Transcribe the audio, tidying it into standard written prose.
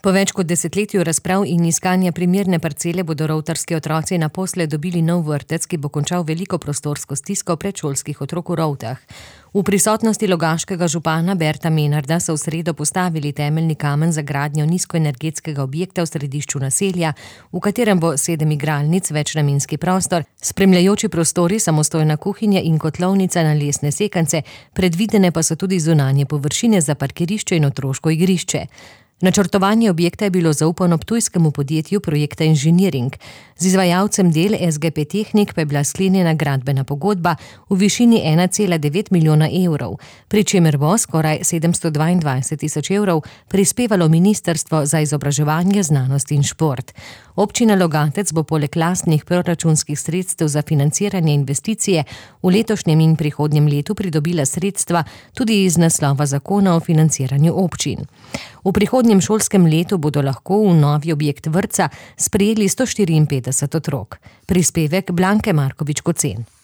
Po več kot desetletju razprav in iskanja primerne parcele bodo rovtarski otroci naposled dobili nov vrtec, ki bo končal veliko prostorsko stisko predšolskih otrok v Rovtah. V prisotnosti logaškega župana Berta Menarda so v sredo postavili temeljni kamen za gradnjo nizkoenergetskega objekta v središču naselja, v katerem bo 7 igralnic, večnamenski prostor, spremljajoči prostori, samostojna kuhinja in kotlovnica na lesne sekance, predvidene pa so tudi zunanje površine za parkirišče in otroško igrišče. Načrtovanje objekta je bilo zaupano ptujskemu podjetju Projekta Inženiring. Z izvajalcem del SGP Tehnik pa je bila sklenjena gradbena pogodba v višini 1,9 milijona evrov, pri čemer bo skoraj 722 tisoč evrov prispevalo Ministrstvo za izobraževanje, znanost in šport. Občina Logatec bo poleg lastnih proračunskih sredstev za financiranje investicije v letošnjem in prihodnjem letu pridobila sredstva tudi iz naslova zakona o financiranju občin. V prihodnjem šolskem letu bodo lahko v novi objekt vrtca sprejeli 154 otrok. Prispevek Blanke Markovič-Kocen.